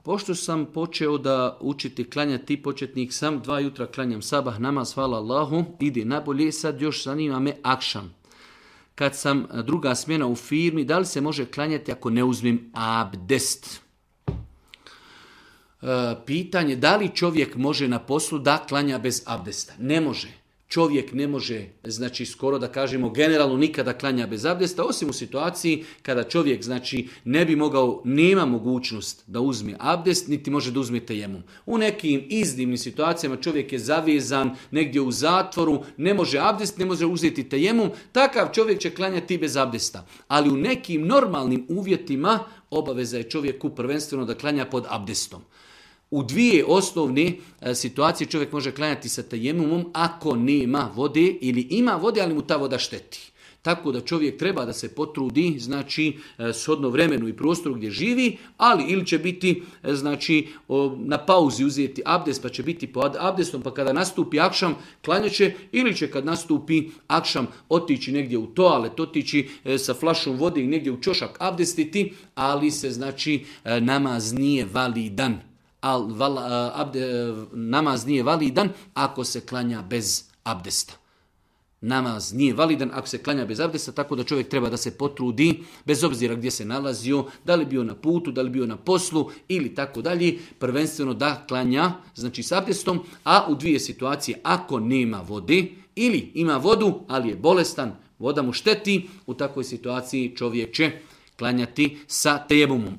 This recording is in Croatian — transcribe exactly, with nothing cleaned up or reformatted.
Pošto sam počeo da učiti klanjati, početnik sam, dva jutra klanjam sabah, namaz, hvala Allahu, ide nabolje, sad još zanima me akšam. Kad sam druga smjena u firmi, da li se može klanjati ako ne uzmem abdest? E, pitanje, da li čovjek može na poslu da klanja bez abdesta? Ne može. Čovjek ne može, znači skoro da kažemo generalno nikada klanja bez abdesta, osim u situaciji kada čovjek znači ne bi mogao, nema mogućnost da uzme abdest, niti može da uzme tejemum. U nekim iznimnim situacijama čovjek je zavezan negdje u zatvoru, ne može abdest, ne može uzeti tejemum, takav čovjek će klanjati bez abdesta. Ali u nekim normalnim uvjetima obaveza je čovjeku prvenstveno da klanja pod abdestom. U dvije osnovne situacije čovjek može klanjati sa tejemumom ako nema vode ili ima vode, ali mu ta voda šteti. Tako da čovjek treba da se potrudi, znači, shodno vremenu i prostoru gdje živi, ali ili će biti, znači, na pauzi uzeti abdest, pa će biti pod abdestom, pa kada nastupi akšam, klanjat će, ili će kad nastupi akšam otići negdje u toalet, otići sa flašom vode i negdje u čošak abdestiti, ali se, znači, namaz nije validan. Al, val, abde, namaz nije validan ako se klanja bez abdesta. Namaz nije validan ako se klanja bez abdesta, tako da čovjek treba da se potrudi, bez obzira gdje se nalazio, da li bio na putu, da li bio na poslu ili tako dalje, prvenstveno da klanja, znači s abdestom, a u dvije situacije, ako nema vode ili ima vodu, ali je bolestan, voda mu šteti, u takvoj situaciji čovjek će klanjati sa tejemumom.